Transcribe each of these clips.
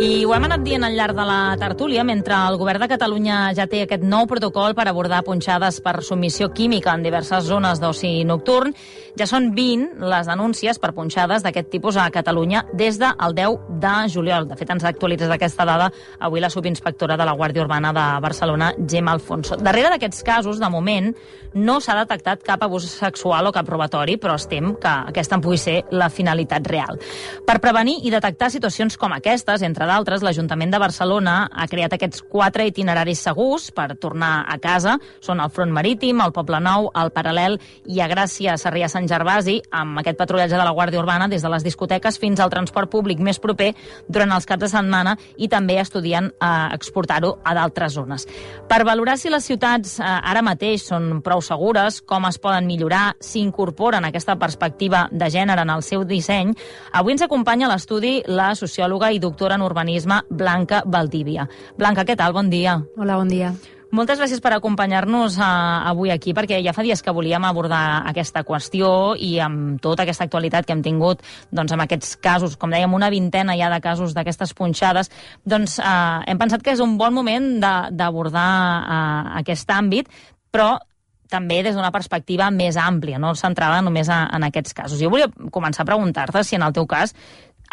I ho hem anat dient al llarg de la tertúlia, mentre el govern de Catalunya ja té aquest nou protocol per abordar punxades per submissió química en diverses zones d'oci nocturn, ja són 20 les denúncies per punxades d'aquest tipus a Catalunya des del 10 de juliol. De fet, ens ha actualitzat aquesta dada avui la subinspectora de la Guàrdia Urbana de Barcelona, Gemma Alfonso. Darrere d'aquests casos, de moment, no s'ha detectat cap abús sexual o cap robatori, però es tem que aquesta en pugui ser la finalitat real. Per prevenir i detectar situacions com aquestes, entre d'altres, l'Ajuntament de Barcelona ha creat aquests 4 itineraris segurs per tornar a casa. Són el Front Marítim, el Poble Nou, el Paral·lel i a Gràcia, Sarrià, Sant Gervasi, amb aquest patrullatge de la Guàrdia Urbana des de les discoteques fins al transport públic més proper durant els caps de setmana i també estudien exportar-ho a d'altres zones. Per valorar si les ciutats ara mateix són prou segures, com es poden millorar, s'incorporen aquesta perspectiva de gènere en el seu disseny, avui ens acompanya a l'estudi la sociòloga i doctora en urbanisme Blanca Valdivia. Blanca, què tal? Bon dia. Hola, bon dia. Moltes gràcies per acompanyar-nos avui aquí, perquè ja fa dies que volíem abordar aquesta qüestió i amb tota aquesta actualitat que hem tingut doncs, amb aquests casos, com dèiem, una vintena ja de casos d'aquestes punxades, doncs hem pensat que és un bon moment d'abordar aquest àmbit, però també des d'una perspectiva més àmplia, no centrada només en aquests casos. Jo volia començar a preguntar-te si en el teu cas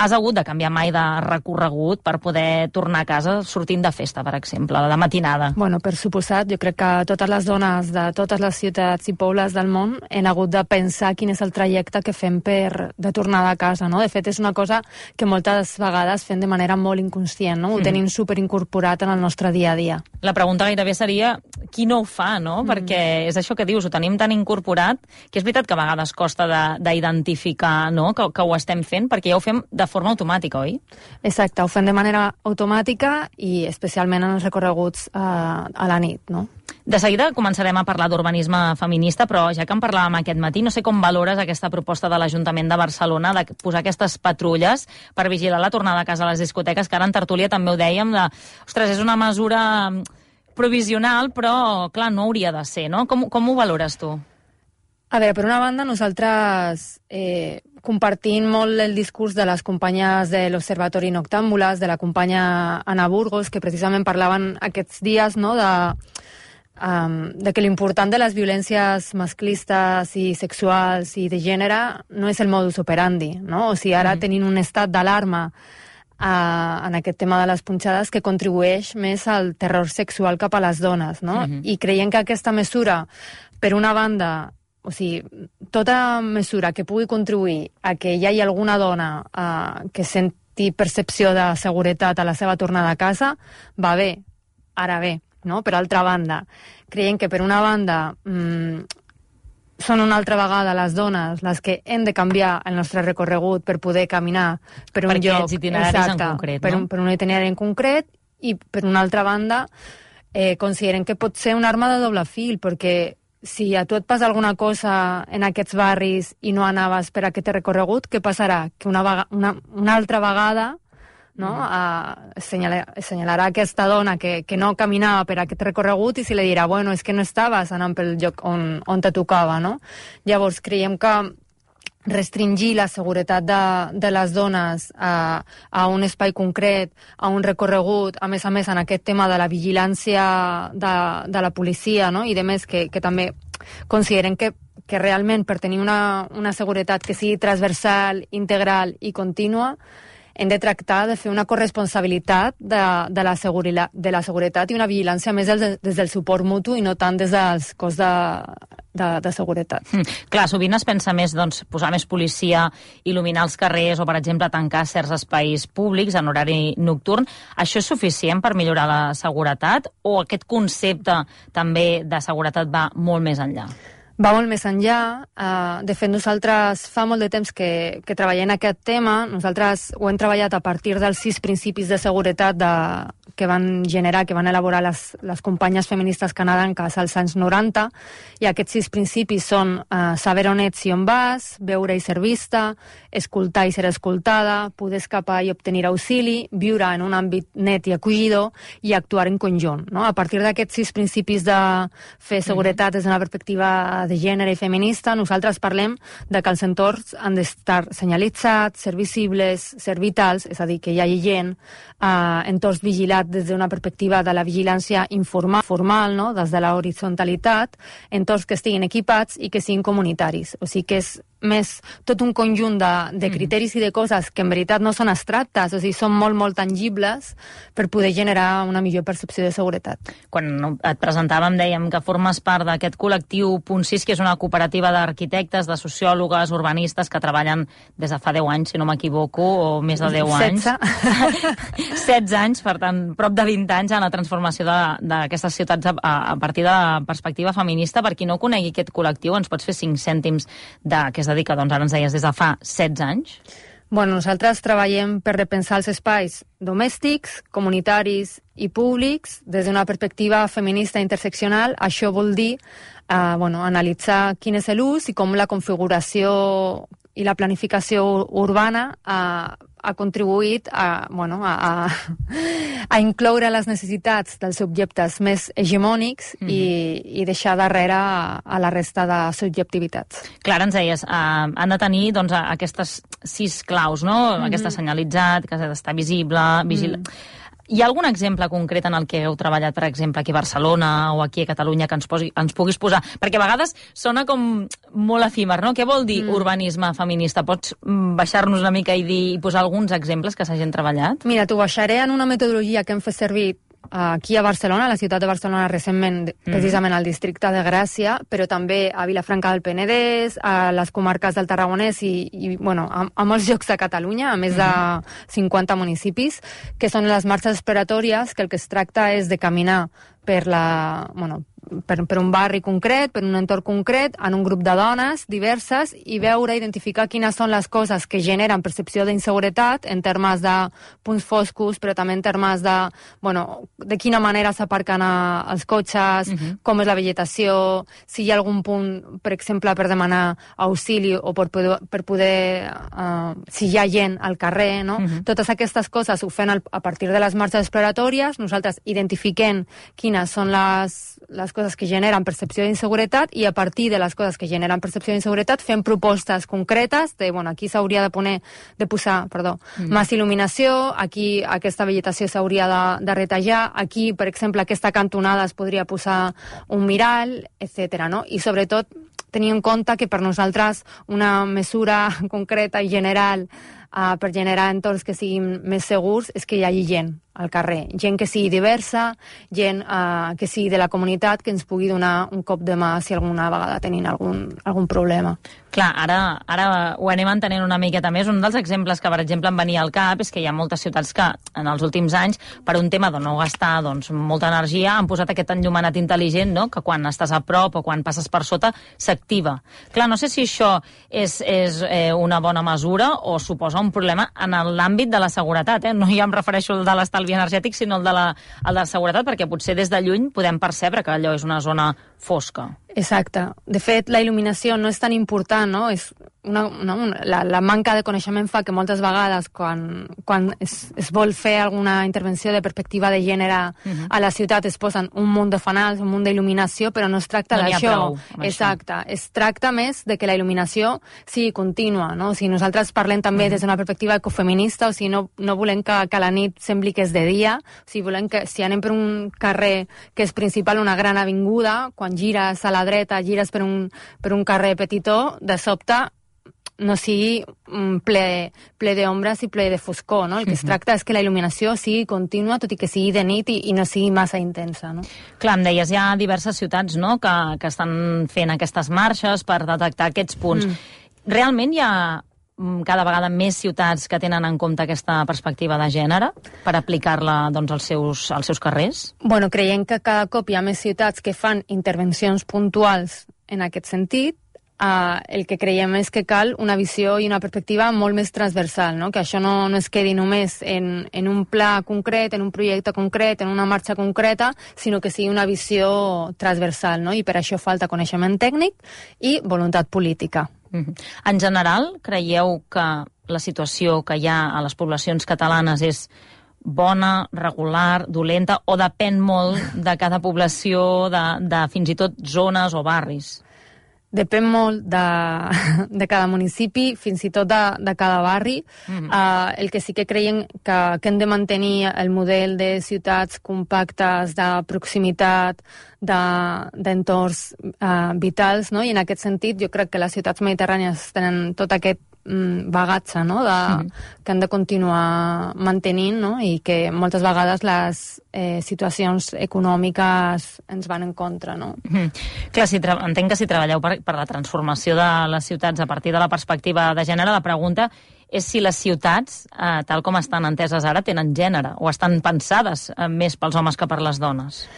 has hagut de canviar mai de recorregut per poder tornar a casa sortint de festa, per exemple, de matinada. Bueno, per suposat, jo crec que totes les dones de totes les ciutats i pobles del món han hagut de pensar quin és el trajecte que fem de tornada a casa, no? De fet, és una cosa que moltes vegades fem de manera molt inconscient, no? Ho tenim superincorporat en el nostre dia a dia. La pregunta gairebé seria qui no ho fa, no? Perquè és això que dius, ho tenim tan incorporat que és veritat que a vegades costa d'identificar, no? que ho estem fent, perquè ja ho fem de forma automàtica, oi? Exacte, ho fem de manera automàtica i especialment en els recorreguts a la nit, no? De seguida començarem a parlar d'urbanisme feminista, però ja que en parlàvem aquest matí, no sé com valores aquesta proposta de l'Ajuntament de Barcelona de posar aquestes patrulles per vigilar la tornada a casa a les discoteques, que ara en tertúlia també ho dèiem, ostres, és una mesura provisional, però, clar, no hauria de ser, no? Com ho valores tu? A veure, per una banda, nosaltres compartint molt el discurs de les companyes de l'Observatori Noctàmbules, de la companya Anna Burgos, que precisament parlaven aquests dies, no?, de que l'important de les violències masclistes i sexuals i de gènere no és el modus operandi, no? O sigui, ara tenim un estat d'alarma en aquest tema de les punxades que contribueix més al terror sexual cap a les dones, no? I creiem que aquesta mesura, per una banda, o sigui, tota mesura que pugui contribuir a que hi hagi alguna dona que senti percepció de seguretat a la seva tornada a casa, va bé. Ara bé, no? Per altra banda, creiem que per una banda són una altra vegada les dones les que hem de canviar el nostre recorregut per poder caminar per un lloc, aquests itineraris en concret, no? Per un itinerari en concret, i per una altra banda considerem que pot ser una arma de doble fil, perquè si a tu et passa alguna cosa en aquests barris i no anaves per aquest recorregut, què passarà? Que una altra vegada, no? Assenyalarà aquesta dona que no caminava per aquest recorregut i se li dirà, bueno, és que no estaves anant pel lloc on te tocava, no? Llavors, creiem que restringir la seguretat de les dones a un espai concret, a un recorregut, a més en aquest tema de la vigilància de la policia, no? I de més que també consideren que realment per tenir una seguretat que sigui transversal, integral i contínua, hem de tractar de fer una corresponsabilitat de la seguretat i una vigilància més des del suport mutu i no tant des dels cos de seguretat. Clar, sovint es pensa més posar més policia, il·luminar els carrers o, per exemple, tancar certs espais públics en horari nocturn. Això és suficient per millorar la seguretat o aquest concepte també de seguretat va molt més enllà? Va molt més enllà. De fet, nosaltres fa molt de temps que treballem aquest tema. Nosaltres ho hem treballat a partir dels 6 principis de seguretat que van elaborar les companyes feministes canadenques als anys 90, i aquests 6 principis són saber on ets i on vas, veure i ser vista, escoltar i ser escoltada, poder escapar i obtenir auxili, viure en un àmbit net i acollidor i actuar en conjunt. No? A partir d'aquests 6 principis de fer seguretat des d'una perspectiva de gènere i feminista, nosaltres parlem de que els entorns han d'estar senyalitzats, ser visibles, ser vitals, és a dir, que hi hagi gent, entorns vigilats des d'una perspectiva de la vigilància formal, no? Des de la horitzonalitat, entorns que estiguin equipats i que siguin comunitaris. O sigui que és més tot un conjunt de criteris i de coses que en veritat no són abstractes, o sigui, són molt, molt tangibles per poder generar una millor percepció de seguretat. Quan et presentàvem dèiem que formes part d'aquest col·lectiu Punt 6, que és una cooperativa d'arquitectes, de sociòlogues, urbanistes que treballen des de fa 10 anys, si no m'equivoco, o més de 10 anys. 16 anys, per tant, prop de 20 anys en la transformació d'aquestes ciutats a partir de la perspectiva feminista. Per qui no conegui aquest col·lectiu, ens pots fer 5 cèntims de què es dedica, doncs ara ens deies, des de fa 16 anys? Bueno, nosaltres treballem per repensar els espais domèstics, comunitaris i públics des d'una perspectiva feminista interseccional. Això vol dir analitzar quin és l'ús i com la configuració i la planificació urbana ha contribuït a incloure les necessitats dels objectes més hegemònics i deixar darrere a la resta de subjectivitats. Clar, ens deies, han de tenir doncs, aquestes 6 claus, no? Aquesta senyalitzat, que ha d'estar visible, Hi ha algun exemple concret en el que heu treballat, per exemple, aquí a Barcelona o aquí a Catalunya, que ens puguis posar? Perquè a vegades sona com molt efímer, no? Què vol dir urbanisme feminista? Pots baixar-nos una mica i posar alguns exemples que s'hagin treballat? Mira, t'ho baixaré en una metodologia que hem fet servir aquí a Barcelona, a la ciutat de Barcelona recentment, precisament al districte de Gràcia, però també a Vilafranca del Penedès, a les comarques del Tarragonès i a molts llocs de Catalunya, a més de 50 municipis, que són les marxes exploratòries, que el que es tracta és de caminar per un barri concret, per un entorn concret, en un grup de dones diverses, i veure, identificar quines són les coses que generen percepció d'inseguretat en termes de punts foscos, però també en termes de quina manera s'aparquen els cotxes, com és la vegetació, si hi ha algun punt, per exemple, per demanar auxili o per poder si hi ha gent al carrer, no? Totes aquestes coses ho fem a partir de les marxes exploratòries. Nosaltres identifiquem quines són les coses que generen percepció d'inseguretat i a partir de les coses que generen percepció d'inseguretat fem propostes concretes de, aquí s'hauria de posar més il·luminació, aquí aquesta vegetació s'hauria de retallar, aquí, per exemple, aquesta cantonada es podria posar un mirall, etc. No? I sobretot tenir en compte que per nosaltres una mesura concreta i general per generar entorns que siguin més segurs és que hi hagi gent al carrer, gent que sigui diversa, gent que sigui de la comunitat, que ens pugui donar un cop de mà si alguna vegada tenim algun problema. Clar, ara ho anem entenent una miqueta més. Un dels exemples que, per exemple, em venia al cap és que hi ha moltes ciutats que en els últims anys, per un tema de no gastar molta energia, han posat aquest enllumenat intel·ligent, no? Que quan estàs a prop o quan passes per sota s'activa. Clar, no sé si això és una bona mesura o suposa un problema en l'àmbit de la seguretat. No ja em refereixo al de l'estalvi energètic, sinó el de la seguretat, perquè potser des de lluny podem percebre que allò és una zona fosca. Exacte. De fet, la il·luminació no és tan important, no? És la manca de coneixement fa que moltes vegades quan es vol fer alguna intervenció de perspectiva de gènere a la ciutat es posen un munt de fanals, un munt d'il·luminació, però no es tracta d'això. Exacte. Es tracta més de que la il·luminació sigui contínua, no? O sigui, nosaltres parlem també des d'una perspectiva ecofeminista, o sigui, no volem que la nit sembli que és de dia, o sigui, volem que si anem per un carrer que és principal, una gran avinguda, quan gires a la dreta, gires per un carrer petitó, de sobte no sigui ple d'ombres i ple de foscor, no? El que es tracta és que la il·luminació sigui contínua, tot i que sigui de nit i no sigui massa intensa, no? Clar, em deies, hi ha diverses ciutats, no?, que estan fent aquestes marxes per detectar aquests punts. Realment hi ha cada vegada més ciutats que tenen en compte aquesta perspectiva de gènere per aplicar-la als seus carrers? Bueno, creiem que cada cop hi ha més ciutats que fan intervencions puntuals en aquest sentit. el que creiem és que cal una visió i una perspectiva molt més transversal, no? Que això no es quedi només en un pla concret, en un projecte concret, en una marxa concreta, sinó que sigui una visió transversal, no? I per això falta coneixement tècnic i voluntat política. En general, creieu que la situació que hi ha a les poblacions catalanes és bona, regular, dolenta, o depèn molt de cada població, de fins i tot zones o barris? Depèn molt de cada municipi, fins i tot de cada barri. El que sí que creiem que hem de mantenir el model de ciutats compactes, de proximitat, d'entorns vitals, no? I en aquest sentit jo crec que les ciutats mediterrànies tenen tot aquest bagatge, no? Que han de continuar mantenint, no? I que moltes vegades les situacions econòmiques ens van en contra, no? Clar, entenc que si treballeu per la transformació de les ciutats a partir de la perspectiva de gènere, la pregunta és si les ciutats, tal com estan enteses ara, tenen gènere o estan pensades més pels homes que per les dones.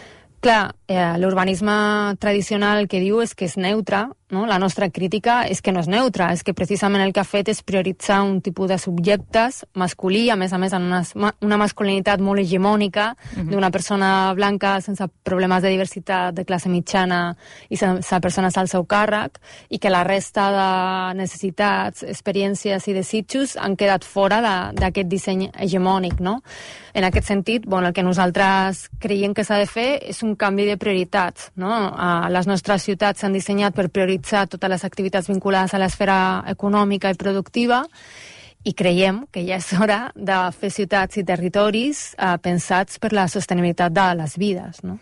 Clar, l'urbanisme tradicional el que diu és que és neutre, no? La nostra crítica és que no és neutre, és que precisament el que ha fet és prioritzar un tipus de subjectes masculí, a més en una masculinitat molt hegemònica, d'una persona blanca sense problemes de diversitat, de classe mitjana i sense persones al seu càrrec, i que la resta de necessitats, experiències i desitjos han quedat fora d'aquest disseny hegemònic, no? En aquest sentit, el que nosaltres creiem que s'ha de fer és un canvi de prioritats, no? Les nostres ciutats s'han dissenyat per prioritzar totes les activitats vinculades a l'esfera econòmica i productiva, i creiem que ja és hora de fer ciutats i territoris pensats per la sostenibilitat de les vides, no?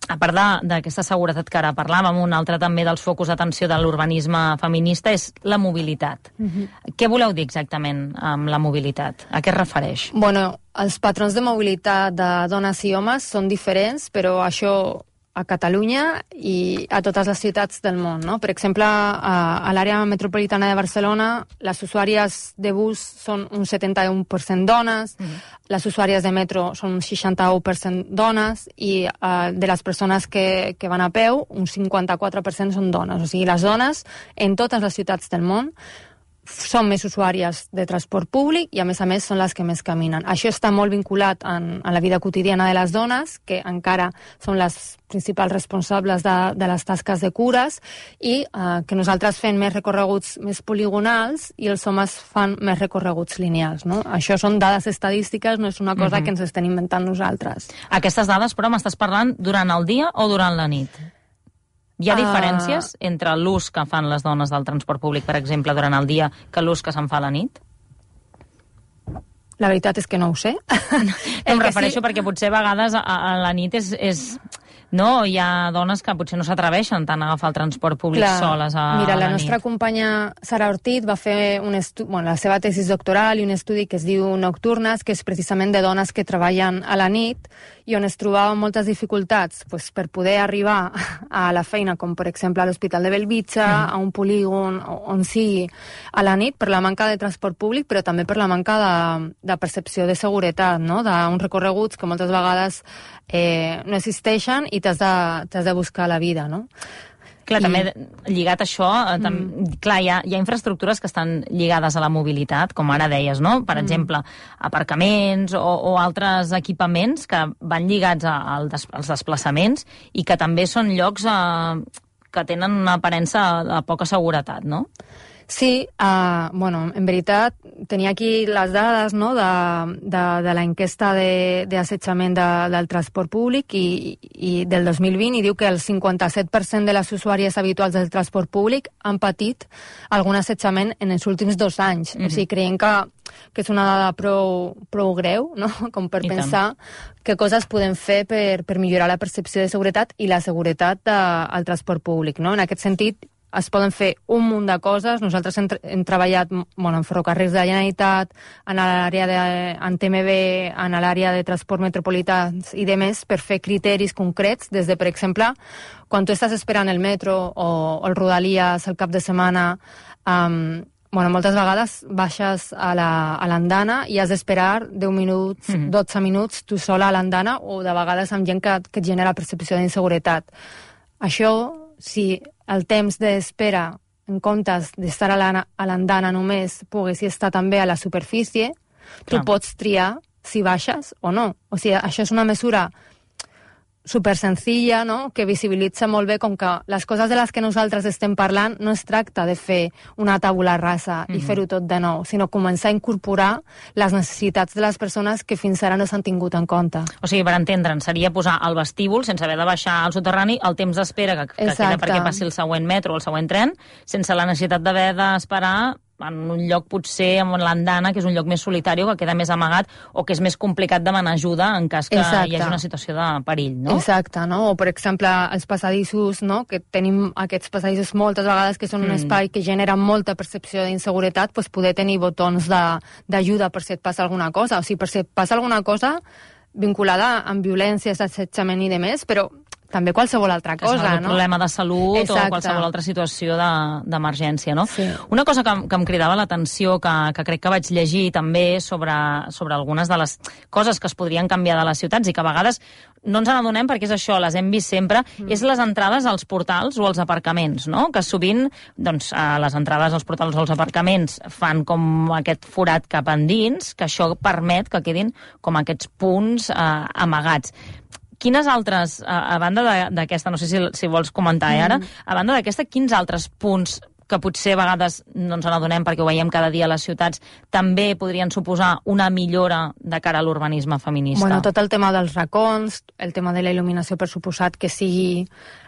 A part d'aquesta seguretat que ara parlàvem, un altre també dels focus d'atenció de l'urbanisme feminista és la mobilitat. Què voleu dir exactament amb la mobilitat? A què es refereix? Els patrons de mobilitat de dones i homes són diferents, però això a Catalunya i a totes les ciutats del món, no? Per exemple, a l'àrea metropolitana de Barcelona, les usuàries de bus són un 71% dones, les usuàries de metro són un 61% dones, i de les persones que van a peu, un 54% són dones. O sigui, les dones en totes les ciutats del món són més usuàries de transport públic i, a més, són les que més caminen. Això està molt vinculat a la vida quotidiana de les dones, que encara són les principals responsables de les tasques de cures, i que nosaltres fem més recorreguts més poligonals i els homes fan més recorreguts lineals, no? Això són dades estadístiques, no és una cosa que ens estem inventant nosaltres. Aquestes dades, però, m'estàs parlant durant el dia o durant la nit? Hi ha diferències entre l'ús que fan les dones del transport públic, per exemple, durant el dia, que l'ús que se'n fa a la nit? La veritat és que no ho sé. Em refereixo perquè potser a vegades a la nit no, hi ha dones que potser no s'atreveixen tant a agafar el transport públic soles a la nit. Mira, la nostra companya Sara Ortiz va fer la seva tesis doctoral i un estudi que es diu Nocturnes, que és precisament de dones que treballen a la nit i on es trobaven moltes dificultats per poder arribar a la feina, com per exemple a l'Hospital de Bellvitge, a un polígon, on sigui, a la nit, per la manca de transport públic, però també per la manca de percepció de seguretat, no? D'uns recorreguts que moltes vegades no existeixen i t'has de buscar la vida, no? Clar, també lligat a això, clar, hi ha infraestructures que estan lligades a la mobilitat, com ara deies, no? Per exemple, aparcaments o altres equipaments que van lligats als desplaçaments i que també són llocs que tenen una aparença de poca seguretat, no? Sí, en veritat, tenia aquí les dades, no?, de la enquesta d'assetjament del transport públic i del 2020, i diu que el 57% de les usuàries habituals del transport públic han patit algun assetjament en els últims 2 anys. O sigui, creiem que és una dada prou greu, no?, com per pensar què coses podem fer per millorar la percepció de seguretat i la seguretat al transport públic, no? En aquest sentit, es poden fer un munt de coses. Nosaltres hem treballat en ferrocarrils de la Generalitat, en TMB, en l'àrea de transport metropolità i de més, per fer criteris concrets, des de, per exemple, quan tu estàs esperant el metro o el Rodalies el cap de setmana, moltes vegades baixes a l'andana i has d'esperar 10 minuts, 12 minuts tu sola a l'andana, o de vegades amb gent que et genera percepció d'inseguretat. Això, si el temps d'espera en comptes d'estar a l'andana només, poguessi estar també a la superfície, tu pots triar si baixes o no. O sigui, això és una mesura super senzilla, no?, que visibilitza molt bé com que les coses de les que nosaltres estem parlant no es tracta de fer una tabula rasa i fer-ho tot de nou, sinó començar a incorporar les necessitats de les persones que fins ara no s'han tingut en compte. O sigui, per entendre'n, seria posar al vestíbul, sense haver de baixar al soterrani, el temps d'espera que queda perquè passi el següent metro o el següent tren, sense la necessitat d'haver d'esperar en un lloc potser amb l'andana, que és un lloc més solitari o que queda més amagat o que és més complicat demanar ajuda en cas que hi hagi una situació de perill, no? Exacte, no? O, per exemple, els passadissos, no?, que tenim aquests passadissos moltes vegades que són un espai que genera molta percepció d'inseguretat, doncs poder tenir botons d'ajuda per si et passa alguna cosa. O sigui, per si et passa alguna cosa vinculada amb violències, assetjament i demés, però també qualsevol altra cosa, no? Problema de salut o qualsevol altra situació d'emergència, no? Sí. Una cosa que em cridava l'atenció, que crec que vaig llegir també sobre algunes de les coses que es podrien canviar de les ciutats i que a vegades no ens n'adonem perquè és això, les hem vist sempre, és les entrades als portals o als aparcaments, no? Que sovint, doncs, les entrades als portals o als aparcaments fan com aquest forat cap endins, que això permet que quedin com aquests punts amagats. Quines altres, a banda d'aquesta, no sé si vols comentar ara, a banda d'aquesta, quins altres punts que potser a vegades no ens n'adonem perquè ho veiem cada dia a les ciutats, també podrien suposar una millora de cara a l'urbanisme feminista? Bueno, tot el tema dels racons, el tema de la il·luminació, per suposat que sigui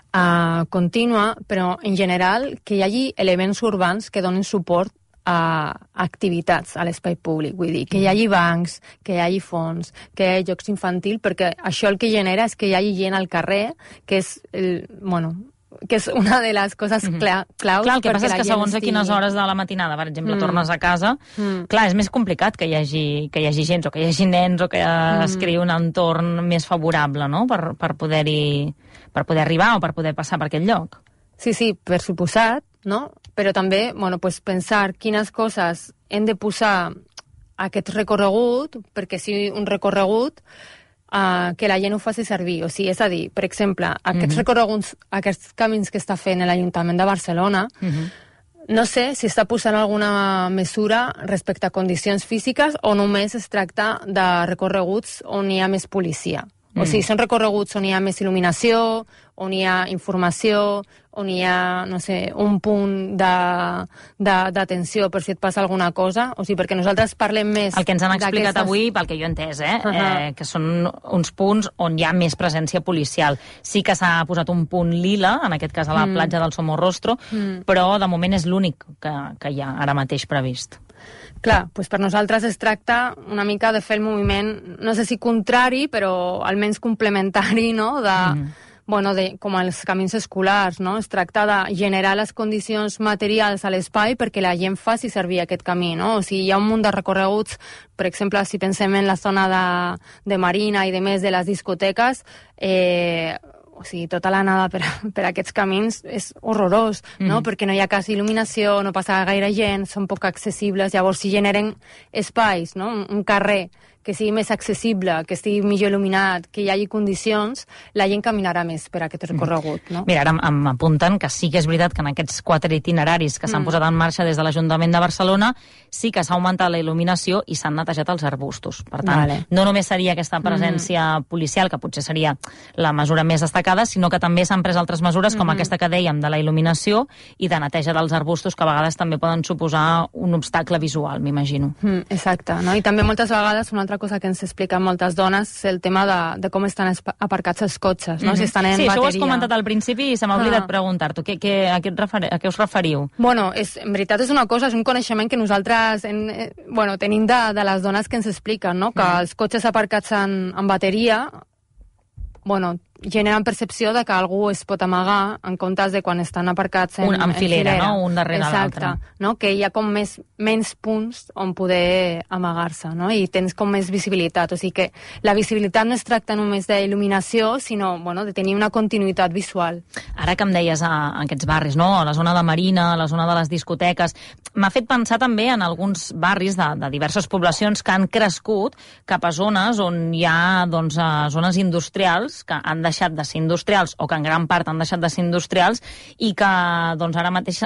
contínua, però en general que hi hagi elements urbans que donin suport a activitats a l'espai públic, vull dir, que hi hagi bancs, que hi hagi fons, que hi hagi jocs infantils, perquè això el que genera és que hi hagi gent al carrer, que és, que és una de les coses claus. Clar, el que passa és que segons a quines hores de la matinada, per exemple, tornes a casa, clar, és més complicat que hi hagi gent, o que hi hagi nens, o que es creï un entorn més favorable, no?, per poder arribar o per poder passar per aquest lloc. Sí, per suposat, no? Però també, pues pensar quines coses hem de posar a aquest recorregut, perquè sigui un recorregut que la gent ho faci servir. O sigui, és a dir, per exemple, aquests recorreguts, aquests camins que està fent l'Ajuntament de Barcelona, no sé si està posant alguna mesura respecte a condicions físiques o només es tracta de recorreguts on hi ha més policia. O sigui, són recorreguts on hi ha més il·luminació, on hi ha informació, on hi ha, no sé, un punt d'atenció per si et passa alguna cosa. O sigui, perquè nosaltres parlem més... El que ens han explicat avui, pel que jo he entès, que són uns punts on hi ha més presència policial. Sí que s'ha posat un punt lila, en aquest cas a la platja del Somorrostro, però de moment és l'únic que hi ha ara mateix previst. Clar, doncs per nosaltres es tracta una mica de fer el moviment, no sé si contrari, però almenys complementari, no?, com els camins escolars, no? Es tracta de generar les condicions materials a l'espai perquè la gent faci servir aquest camí, no? O sigui, hi ha un munt de recorreguts, per exemple, si pensem en la zona de Marina i de més de les discoteques, o sigui, tota l'anada per aquests camins és horrorós, no? Perquè no hi ha quasi il·luminació, no passa gaire gent, són poc accessibles, llavors si generen espais, no? Un carrer que sigui més accessible, que estigui millor il·luminat, que hi hagi condicions, la gent caminarà més per aquest recorregut, no? Mira, ara m'apunten que sí que és veritat que en aquests 4 itineraris que s'han posat en marxa des de l'Ajuntament de Barcelona sí que s'ha augmentat la il·luminació i s'han netejat els arbustos. Per tant, no només seria aquesta presència policial, que potser seria la mesura més destacada, sinó que també s'han pres altres mesures, com aquesta que dèiem, de la il·luminació i de neteja dels arbustos, que a vegades també poden suposar un obstacle visual, m'imagino. Exacte, no? I també moltes vegades una altra cosa que ens expliquen moltes dones és el tema de com estan aparcats els cotxes, no? Si estan en bateria. Sí, això ho has comentat al principi i se m'ha oblidat preguntar-t'ho. A què us referiu? Bueno, en veritat és una cosa, és un coneixement que nosaltres tenim de les dones que ens expliquen, no? Que els cotxes aparcats en bateria generen percepció de que algú es pot amagar en comptes de quan estan aparcats en filera, no? Un darrere l'altre. Exacte, no? Que hi ha com menys punts on poder amagar-se, no? I tens com més visibilitat. O sigui que la visibilitat no es tracta només d'il·luminació, sinó de tenir una continuïtat visual. Ara que em deies a aquests barris, no? A la zona de Marina, a la zona de les discoteques, m'ha fet pensar també en alguns barris de diverses poblacions que han crescut cap a zones on hi ha zones industrials que han deixat de ser industrials o que en gran part han deixat de ser industrials i que doncs, ara mateix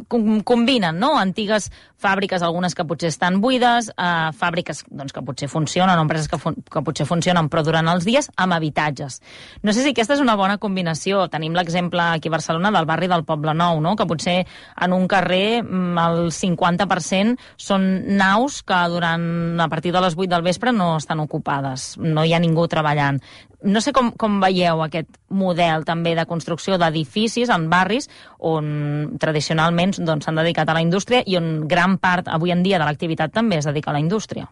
combinen, no? Antigues fàbriques, algunes que potser estan buides, fàbriques doncs, que potser funcionen, o empreses que potser funcionen però durant els dies, amb habitatges. No sé si aquesta és una bona combinació. Tenim l'exemple aquí a Barcelona del barri del Poble Nou, no? Que potser en un carrer el 50% són naus que a partir de les 8 del vespre no estan ocupades, no hi ha ningú treballant. No sé com veieu aquest model també de construcció d'edificis en barris on tradicionalment s'han dedicat a la indústria i on gran part avui en dia de l'activitat també es dedica a la indústria.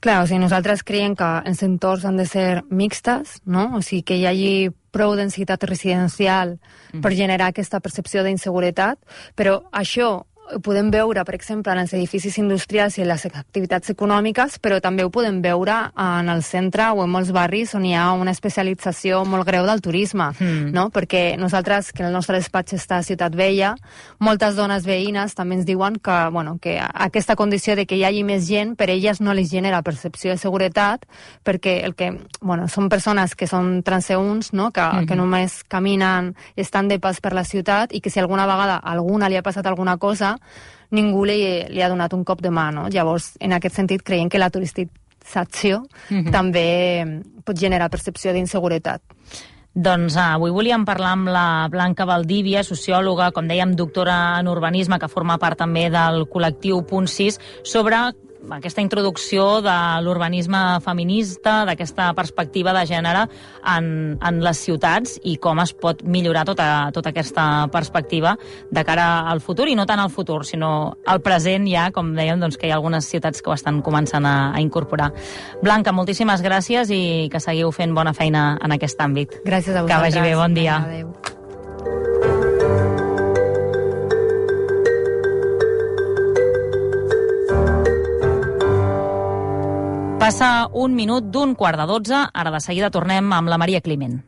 Clar, o sigui, nosaltres creiem que els entorns han de ser mixtes, no? O sigui, que hi hagi prou densitat residencial per generar aquesta percepció d'inseguretat, però això ho podem veure, per exemple, en els edificis industrials i en les activitats econòmiques, però també ho podem veure en el centre o en molts barris on hi ha una especialització molt greu del turisme, no? Perquè nosaltres, que el nostre despatx està a Ciutat Vella, moltes dones veïnes també ens diuen que, bueno, que aquesta condició de que hi hagi més gent, per elles no les genera percepció de seguretat, perquè són persones que són transeünts, no? Que només caminen, estan de pas per la ciutat i que si alguna vegada a alguna li ha passat alguna cosa, ningú li ha donat un cop de mà, no? Llavors, en aquest sentit, creiem que la turisticització també pot generar percepció d'inseguretat. Doncs avui volíem parlar amb la Blanca Valdívia, sociòloga, com dèiem, doctora en urbanisme, que forma part també del col·lectiu Punt 6, sobre aquesta introducció de l'urbanisme feminista, d'aquesta perspectiva de gènere en les ciutats i com es pot millorar tota aquesta perspectiva de cara al futur, i no tant al futur, sinó al present ja, com dèiem, doncs, que hi ha algunes ciutats que ho estan començant a incorporar. Blanca, moltíssimes gràcies i que seguiu fent bona feina en aquest àmbit. Gràcies a vosaltres. Que vagi bé, bon dia. Adéu. Passa un minut d'11:15, ara de seguida tornem amb la Maria Climent.